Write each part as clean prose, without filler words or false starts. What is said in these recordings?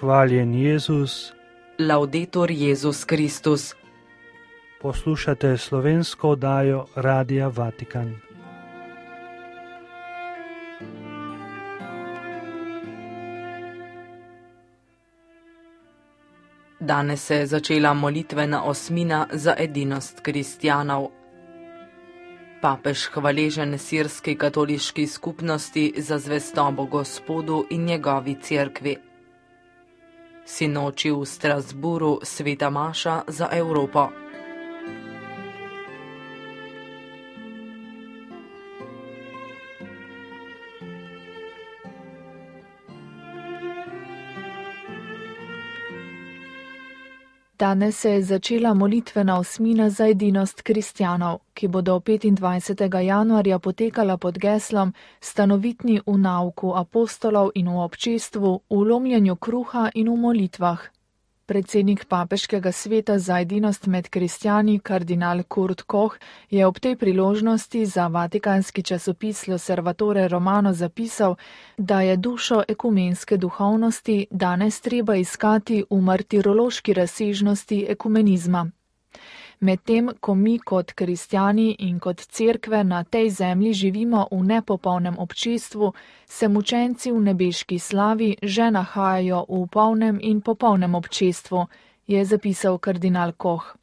Hvaljen Jezus. Laudetur Jezus Kristus. Poslušate slovensko oddajo Radia Vatikan. Danes se je začela molitvena osmina za edinost kristjanov. Papež hvaležen sirski katoliški skupnosti za zvestobo Gospodu in njegovi cerkvi. Sinoči v Strasburu sveta maša za Evropo. Danes se je začela molitvena osmina za edinost kristjanov, ki bodo 25. januarja potekala pod geslom Stanovitni v nauku apostolov in v občestvu, v lomljenju kruha in v molitvah. Predsednik papeškega sveta za edinost med kristjani, kardinal Kurt Koch, je ob tej priložnosti za vatikanski časopis L'Osservatore Romano zapisal, da je dušo ekumenske duhovnosti danes treba iskati v martirološki razsežnosti ekumenizma. Medtem, ko mi kot kristjani in kot cerkve na tej zemlji živimo v nepopolnem občestvu, se mučenci v nebeški slavi že nahajajo v polnem in popolnem občestvu, je zapisal kardinal Koch.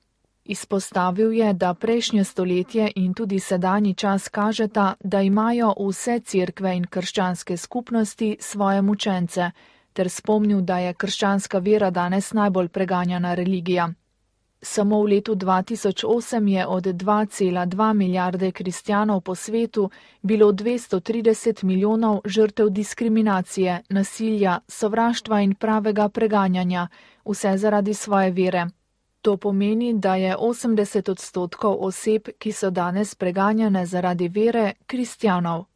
Izpostavil je, da prejšnje stoletje in tudi sedanji čas kažeta, da imajo vse cerkve in krščanske skupnosti svoje mučence, ter spomnil, da je krščanska vera danes najbolj preganjana religija. Samo v letu 2008 je od 2,2 milijarde kristjanov po svetu bilo 230 milijonov žrtev diskriminacije, nasilja, sovraštva in pravega preganjanja, vse zaradi svoje vere. To pomeni, da je 80% oseb, ki so danes preganjane zaradi vere, kristjanov.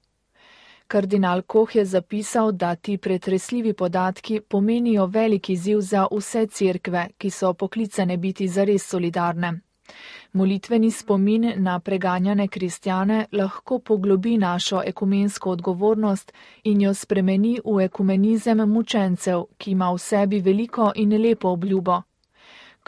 Kardinal Koch je zapisal, da ti pretresljivi podatki pomenijo velik izziv za vse cerkve, ki so poklicane biti zares solidarne. Molitveni spomin na preganjane kristjane lahko poglobi našo ekumensko odgovornost in jo spremeni v ekumenizem mučencev, ki ima v sebi veliko in lepo obljubo.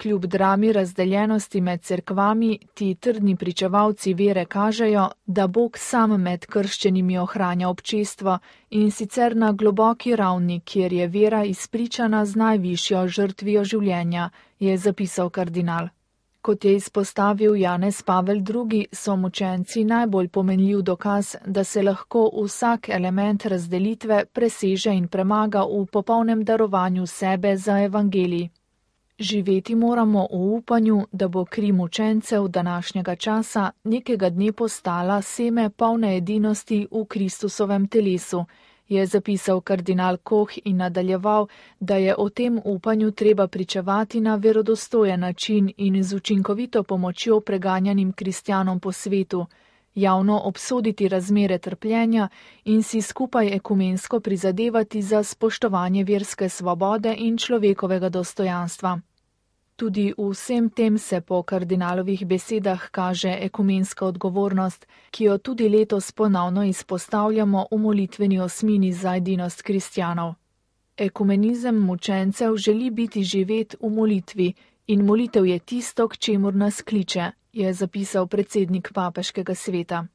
Kljub drami razdeljenosti med cerkvami, ti trdni pričevalci vere kažejo, da Bog sam med krščenimi ohranja občestvo in sicer na globoki ravni, kjer je vera izpričana z najvišjo žrtvijo življenja, je zapisal kardinal. Kot je izpostavil Janez Pavel II, so mučenci najbolj pomenljiv dokaz, da se lahko vsak element razdelitve preseže in premaga v popolnem darovanju sebe za evangelij. Živeti moramo v upanju, da bo kri mučencev današnjega časa nekega dne postala seme polne edinosti v Kristusovem telesu, je zapisal kardinal Koch in nadaljeval, da je o tem upanju treba pričevati na verodostojen način in z učinkovito pomočjo preganjanim kristjanom po svetu, javno obsoditi razmere trpljenja in si skupaj ekumensko prizadevati za spoštovanje verske svobode in človekovega dostojanstva. Tudi v vsem tem se po kardinalovih besedah kaže ekumenska odgovornost, ki jo tudi letos ponovno izpostavljamo v molitveni osmini za edinost kristjanov. Ekumenizem mučencev želi biti živet v molitvi in molitev je tisto, k čemur nas kliče, je zapisal predsednik papeškega sveta.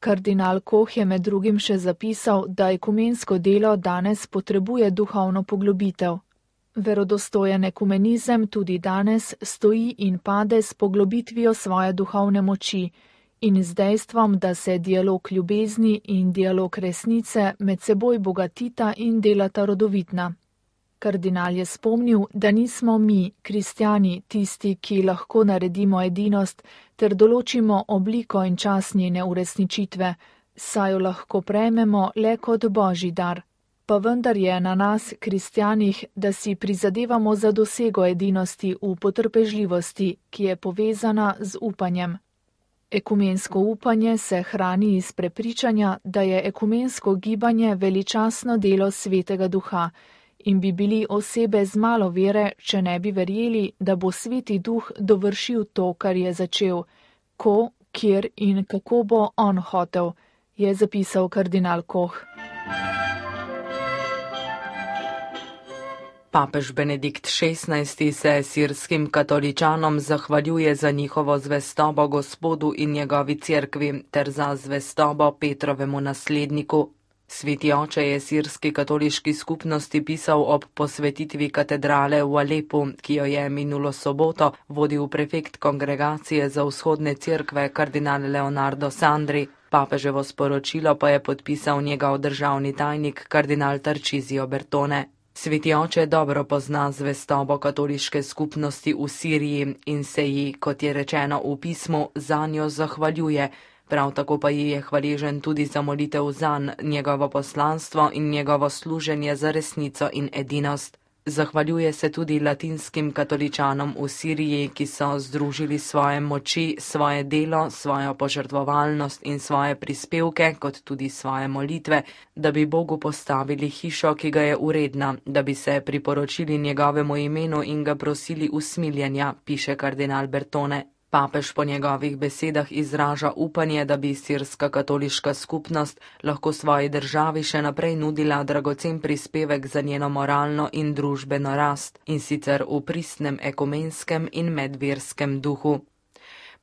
Kardinal Koch je med drugim še zapisal, da ekumensko delo danes potrebuje duhovno poglobitev. Verodostojen ekumenizem tudi danes stoji in pade s poglobitvijo svoje duhovne moči in z dejstvom, da se dialog ljubezni in dialog resnice med seboj bogatita in delata rodovitna. Kardinal je spomnil, da nismo mi, kristjani, tisti, ki lahko naredimo edinost ter določimo obliko in čas njene uresničitve, saj jo lahko prejmemo le kot božji dar. Pa vendar je na nas, kristjanih, da si prizadevamo za dosego edinosti v potrpežljivosti, ki je povezana z upanjem. Ekumensko upanje se hrani iz prepričanja, da je ekumensko gibanje veličastno delo Svetega Duha in bi bili osebe z malo vere, če ne bi verjeli, da bo Sveti Duh dovršil to, kar je začel, ko, kjer in kako bo on hotel, je zapisal kardinal Koch. Papež Benedikt XVI se sirskim katoličanom zahvaljuje za njihovo zvestobo Gospodu in njegovi cerkvi ter za zvestobo Petrovemu nasledniku. Sveti oče je sirski katoliški skupnosti pisal ob posvetitvi katedrale v Alepu, ki jo je minulo soboto vodil prefekt kongregacije za vzhodne cerkve kardinal Leonardo Sandri. Papeževo sporočilo pa je podpisal njegov državni tajnik kardinal Tarcisio Bertone. Sveti oče dobro pozna zvestobo katoliške skupnosti v Siriji in se ji, kot je rečeno v pismu, zanjo zahvaljuje. Prav tako pa ji je hvaležen tudi za molitev zanj, njegovo poslanstvo in njegovo služenje za resnico in edinost. Zahvaljuje se tudi latinskim katoličanom v Siriji, ki so združili svoje moči, svoje delo, svojo požrtvovalnost in svoje prispevke, kot tudi svoje molitve, da bi Bogu postavili hišo, ki ga je uredna, da bi se priporočili njegovemu imenu in ga prosili usmiljenja, piše kardinal Bertone. Papež po njegovih besedah izraža upanje, da bi sirska katoliška skupnost lahko svoji državi še naprej nudila dragocen prispevek za njeno moralno in družbeno rast, in sicer v pristnem ekumenskem in medverskem duhu.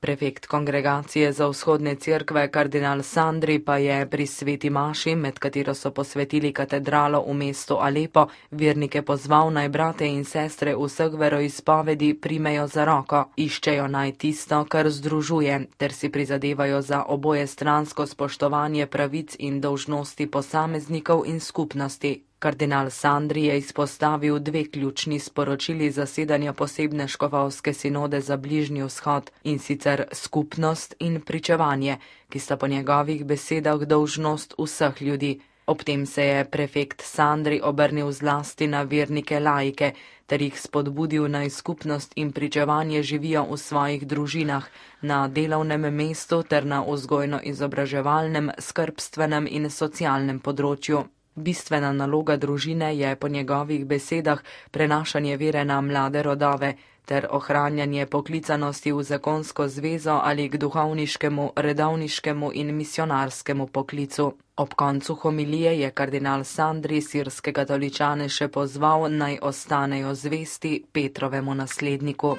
Prefekt kongregacije za vzhodne cerkve kardinal Sandri pa je pri sveti maši, med katero so posvetili katedralo v mestu Alepo, vernike pozval naj brate in sestre vseh veroizpovedi primejo za roko, iščejo naj tisto, kar združuje, ter si prizadevajo za oboje stransko spoštovanje pravic in dolžnosti posameznikov in skupnosti. Kardinal Sandri je izpostavil dve ključni sporočili zasedanja posebne škofovske sinode za Bližnji vzhod, in sicer skupnost in pričevanje, ki sta po njegovih besedah dolžnost vseh ljudi. Ob tem se je prefekt Sandri obrnil zlasti na vernike laike, ter jih spodbudil naj skupnost in pričevanje živijo v svojih družinah, na delovnem mestu ter na vzgojno-izobraževalnem, skrbstvenem in socialnem področju. Bistvena naloga družine je po njegovih besedah prenašanje vere na mlade rodove ter ohranjanje poklicanosti v zakonsko zvezo ali k duhovniškemu, redovniškemu in misionarskemu poklicu. Ob koncu homilije je kardinal Sandri sirske katoličane še pozval, naj ostanejo zvesti Petrovemu nasledniku.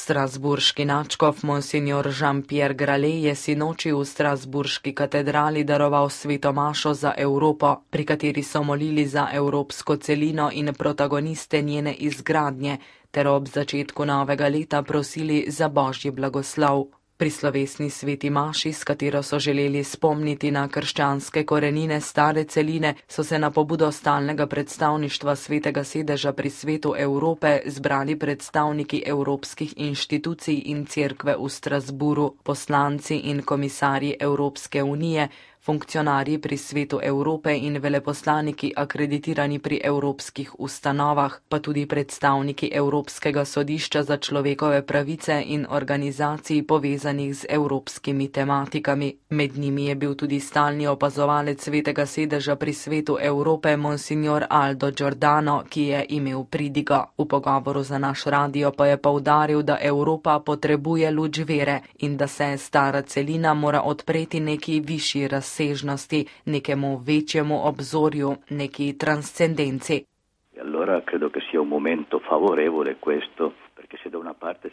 Strasburški nadškof monsignor Jean-Pierre Grale je sinoči v strasburški katedrali daroval sveto mašo za Evropo, pri kateri so molili za evropsko celino in protagoniste njene izgradnje, ter ob začetku novega leta prosili za božji blagoslov. Pri slovesni sveti maši, s katero so želeli spomniti na krščanske korenine stare celine, so se na pobudo stalnega predstavništva Svetega sedeža pri Svetu Evrope zbrali predstavniki evropskih inštitucij in cerkve v Strasburu, poslanci in komisarji Evropske unije, funkcionarji pri Svetu Evrope in veleposlaniki akreditirani pri evropskih ustanovah, pa tudi predstavniki Evropskega sodišča za človekove pravice in organizacij povezanih z evropskimi tematikami. Med njimi je bil tudi stalni opazovalec Svetega sedeža pri Svetu Evrope monsignor Aldo Giordano, ki je imel pridigo. V pogovoru za naš radio pa je poudaril, da Evropa potrebuje luč vere in da se stara celina mora odpreti neki višji razsežnosti, nekemu večjemu obzorju, neki transcendenci.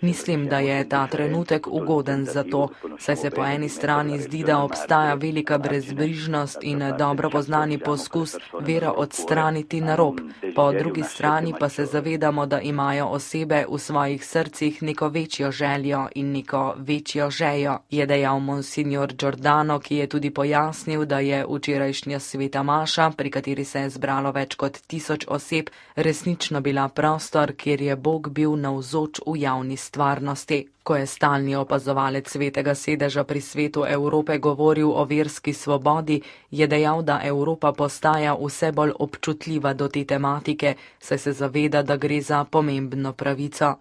Mislim, da je ta trenutek ugoden za to, saj se po eni strani zdi, da obstaja velika brezbrižnost in dobro poznani poskus vero odstraniti na rob, po drugi strani pa se zavedamo, da imajo osebe v svojih srcih neko večjo željo in neko večjo žejo, je dejal monsignor Giordano, ki je tudi pojasnil, da je včerajšnja sveta maša, pri kateri se je zbralo več kot 1000 oseb, resnično bila prostor, kjer je Bog bil navzoč v javni stvarnosti. Ko je stalni opazovalec Svetega sedeža pri Svetu Evrope govoril o verski svobodi, je dejal, da Evropa postaja vse bolj občutljiva do te tematike, saj se zaveda, da gre za pomembno pravico.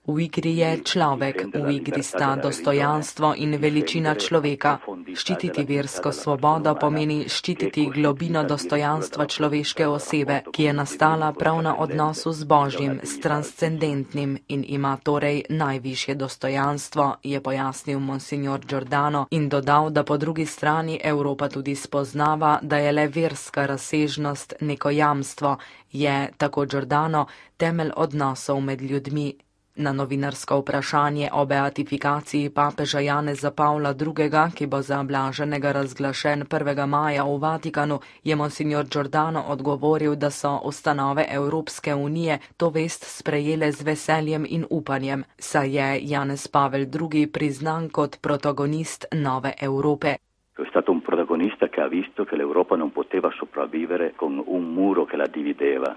V igri je človek, v igri sta dostojanstvo in veličina človeka. Ščititi versko svobodo pomeni ščititi globino dostojanstva človeške osebe, ki je nastala prav na odnosu z Božjim, s transcendentnim in ima torej najvišje dostojanstvo, je pojasnil monsignor Giordano in dodal, da po drugi strani Evropa tudi spoznava, da je le verska razsežnost neko jamstvo, je, tako Giordano, temelj odnosov med ljudmi. Na novinarsko vprašanje o beatifikaciji papeža Janeza Pavla II., ki bo za blaženega razglašen 1. maja v Vatikanu, je monsignor Giordano odgovoril, da so ustanove Evropske unije to vest sprejele z veseljem in upanjem, saj je Janez Pavel II. Priznan kot protagonist nove Evrope. È stato un protagonista che ha visto che l'Europa non poteva sopravvivere con un muro che la divideva.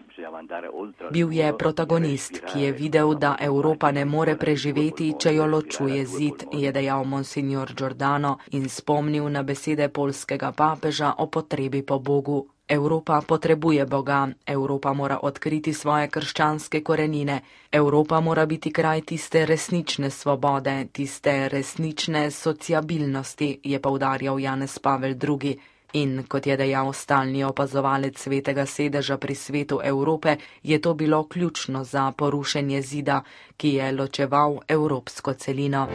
Bil je protagonist, ki je videl, da Evropa ne more preživeti, če jo ločuje zid, je dejal monsignor Giordano in spomnil na besede poljskega papeža o potrebi po Bogu. Evropa potrebuje Boga, Evropa mora odkriti svoje krščanske korenine, Evropa mora biti kraj tiste resnične svobode, tiste resnične sociabilnosti, je poudarjal Janez Pavel II. In, kot je dejal stalni opazovalec Svetega sedeža pri Svetu Evrope, je to bilo ključno za porušenje zida, ki je ločeval evropsko celino.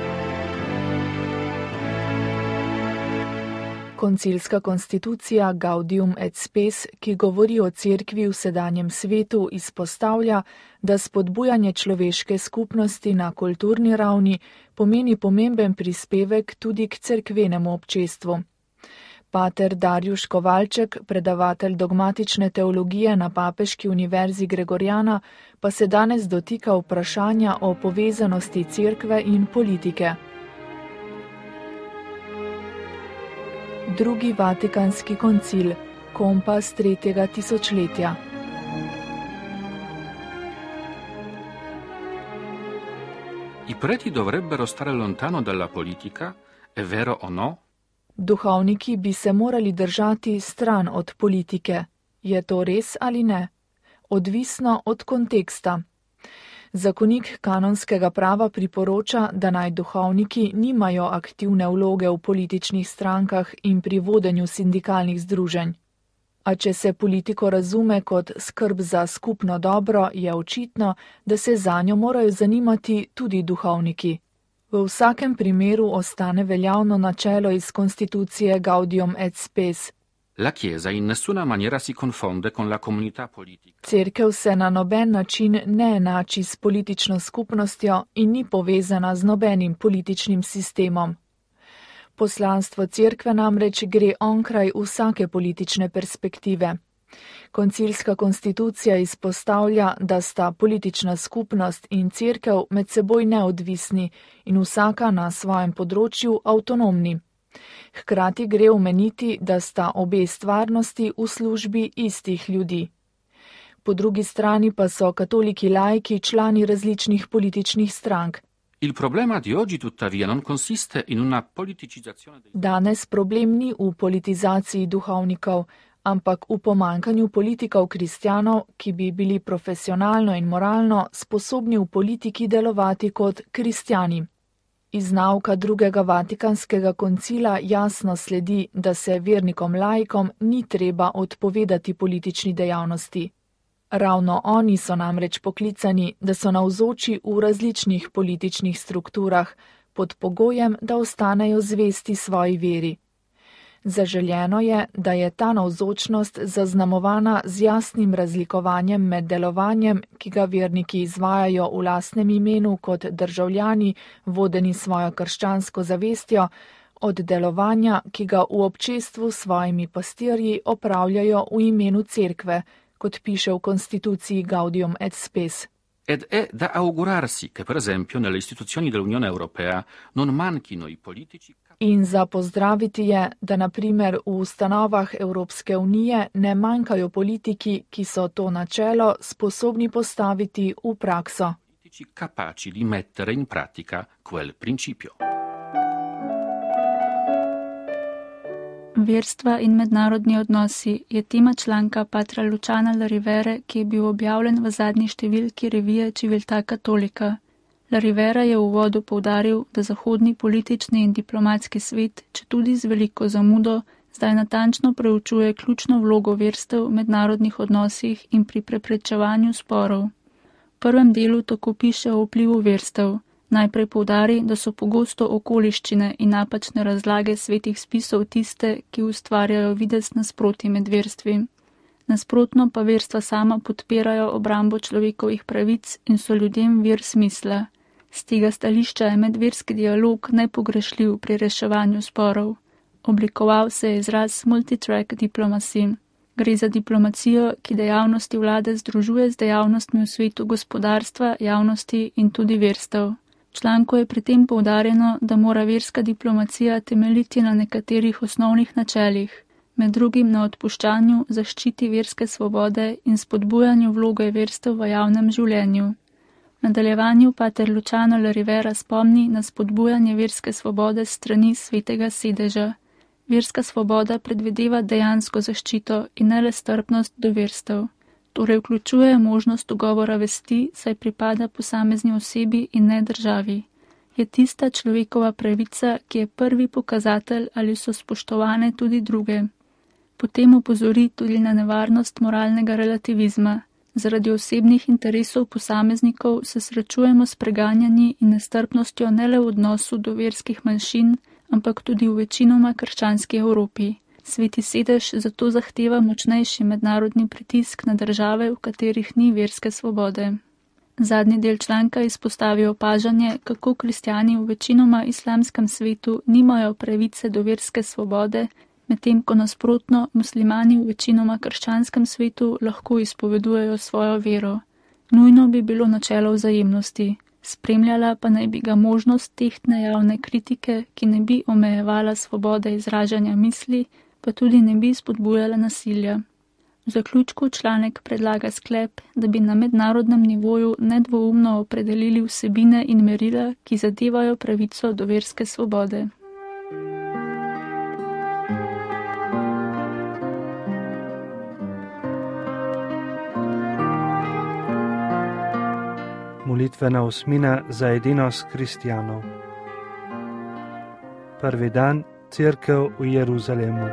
Koncilska konstitucija Gaudium et Spes, ki govori o cerkvi v sedanjem svetu, izpostavlja, da spodbujanje človeške skupnosti na kulturni ravni pomeni pomemben prispevek tudi k cerkvenemu občestvu. Pater Darjuš Kovalček, predavatelj dogmatične teologije na Papeški univerzi Gregoriana, pa se danes dotika vprašanja o povezanosti cerkve in politike. Drugi Vatikanski koncil, kompas 3. tisočletja. I preti dovrebbero stare lontano dalla politica, è vero o no? Duhovniki bi se morali držati stran od politike. Je to res ali ne? Odvisno od konteksta. Zakonik kanonskega prava priporoča, da naj duhovniki nimajo aktivne vloge v političnih strankah in pri vodenju sindikalnih združenj. A če se politiko razume kot skrb za skupno dobro, je očitno, da se zanjo morajo zanimati tudi duhovniki. V vsakem primeru ostane veljavno načelo iz konstitucije Gaudium et Spes. La Chiesa in nessuna maniera si confonde con la comunità politica. Cerkev se na noben način ne enači s politično skupnostjo in ni povezana z nobenim političnim sistemom. Poslanstvo cerkve namreč gre onkraj vsake politične perspektive. Koncilska konstitucija izpostavlja, da sta politična skupnost in cerkev med seboj neodvisni in vsaka na svojem področju avtonomni. Hkrati gre omeniti, da sta obe stvarnosti v službi istih ljudi. Po drugi strani pa so katoliki laiki člani različnih političnih strank. Il problema di oggi tuttavia non consiste in una politicizzazione dei... Danes problem ni v politizaciji duhovnikov, ampak v pomankanju politikov kristjanov, ki bi bili profesionalno in moralno sposobni v politiki delovati kot kristjani. Iz nauka drugega Vatikanskega koncila jasno sledi, da se vernikom laikom ni treba odpovedati politični dejavnosti. Ravno oni so namreč poklicani, da so navzoči v različnih političnih strukturah, pod pogojem, da ostanejo zvesti svoji veri. Zaželjeno je, da je ta navzočnost zaznamovana z jasnim razlikovanjem med delovanjem, ki ga verniki izvajajo v lastnem imenu kot državljani, vodeni svojo krščansko zavestjo, od delovanja, ki ga v občestvu s svojimi pastirji opravljajo v imenu cerkve, kot piše v konstituciji Gaudium et Spes. Ed è da augurarsi che, per esempio, nelle istituzioni dell'Unione Europea non manchino i politici. In za pozdraviti je, da na primer v ustanovah Evropske unije ne manjkajo politiki, ki so to načelo sposobni postaviti v prakso. Politici capaci di mettere in pratica quel principio. Verstva in mednarodni odnosi je tema članka patra Luciana La Rivere, ki je bil objavljen v zadnji številki revije Civiltà Cattolica. La Rivera je v uvodu poudaril, da zahodni politični in diplomatski svet, četudi z veliko zamudo, zdaj natančno preučuje ključno vlogo verstev v mednarodnih odnosih in pri preprečevanju sporov. V prvem delu tako piše o vplivu verstev. Najprej poudari, da so pogosto okoliščine in napačne razlage svetih spisov tiste, ki ustvarjajo videz nasprotij med verstvi. Nasprotno pa verstva sama podpirajo obrambo človekovih pravic in so ljudem vir smisla. Z tega stališča je medverski dialog nepogrešljiv pri reševanju sporov. Oblikoval se je izraz multitrack diplomacy. Gre za diplomacijo, ki dejavnosti vlade združuje z dejavnostmi v svetu gospodarstva, javnosti in tudi verstev. V članku je pri tem poudarjeno, da mora verska diplomacija temeljiti na nekaterih osnovnih načelih, med drugim na odpuščanju, zaščiti verske svobode in spodbujanju vloge verstev v javnem življenju. V nadaljevanju pater Luciano La Rivera spomni na spodbujanje verske svobode s strani svetega sedeža. Verska svoboda predvideva dejansko zaščito in ne le strpnost do verstev. Torej vključuje možnost ugovora vesti, saj pripada posamezni osebi in ne državi. Je tista človekova pravica, ki je prvi pokazatelj, ali so spoštovane tudi druge. Potem opozori tudi na nevarnost moralnega relativizma. Zaradi osebnih interesov posameznikov se srečujemo s preganjanji in nestrpnostjo ne le v odnosu do verskih manjšin, ampak tudi v večinoma krščanski Evropi. Sveti sedež zato zahteva močnejši mednarodni pritisk na države, v katerih ni verske svobode. Zadnji del članka izpostavi opažanje, kako kristjani v večinoma islamskem svetu nimajo pravice do verske svobode, medtem ko nasprotno muslimani v večinoma krščanskem svetu lahko izpovedujejo svojo vero. Nujno bi bilo načelo vzajemnosti. Spremljala pa naj bi ga možnost tehtne javne kritike, ki ne bi omejevala svobode izražanja misli, pa tudi ne bi spodbujala nasilja. V zaključku članek predlaga sklep, da bi na mednarodnem nivoju nedvoumno opredelili vsebine in merila, ki zadevajo pravico do verske svobode. Molitvena osmina za edinost kristjanov. Prvi dan, Cerkev v Jeruzalemu.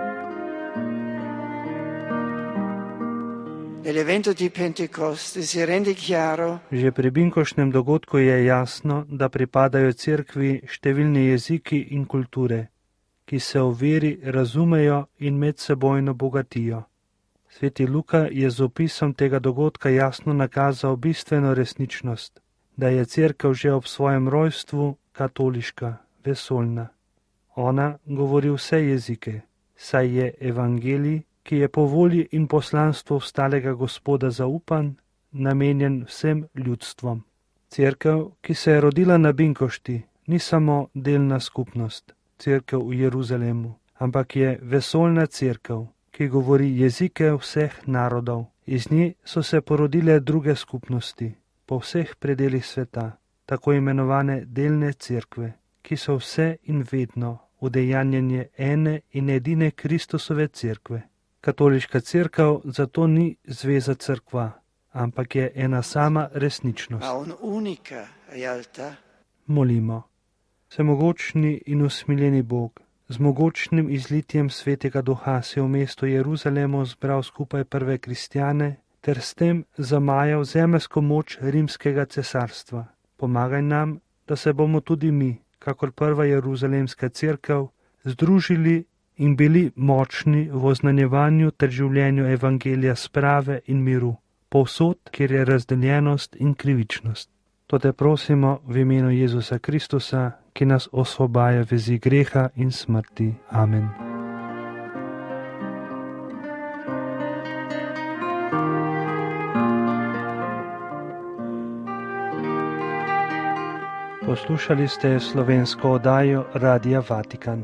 Že pri binkoštnem dogodku je jasno, da pripadajo cerkvi številni jeziki in kulture, ki se v veri razumejo in medsebojno bogatijo. Sveti Luka je z opisom tega dogodka jasno nakazal bistveno resničnost, da je cerkev že ob svojem rojstvu katoliška, vesoljna. Ona govori vse jezike, saj je evangelij, ki je po volji in poslanstvu vstalega Gospoda zaupan, namenjen vsem ljudstvom. Cerkev, ki se je rodila na binkošti, ni samo delna skupnost, cerkev v Jeruzalemu, ampak je vesoljna cerkev, ki govori jezike vseh narodov. Iz nje so se porodile druge skupnosti, po vseh predelih sveta, tako imenovane delne cerkve, ki so vse in vedno udejanjanje ene in edine Kristusove cerkve. Katoliška cerkev zato ni zveza cerkva, ampak je ena sama resničnost. Molimo. Vsemogočni in usmiljeni Bog, z mogočnim izlitjem svetega duha se v mestu Jeruzalemu zbral skupaj prve kristjane ter s tem zamajal zemeljsko moč rimskega cesarstva. Pomagaj nam, da se bomo tudi mi, kakor prva jeruzalemska cerkev, združili in bili močni v oznanjevanju ter življenju evangelija sprave in miru, povsod, kjer je razdeljenost in krivičnost. To te prosimo v imenu Jezusa Kristusa, ki nas osvobaja vezi greha in smrti. Amen. Poslušali ste slovensko oddajo Radia Vatikan.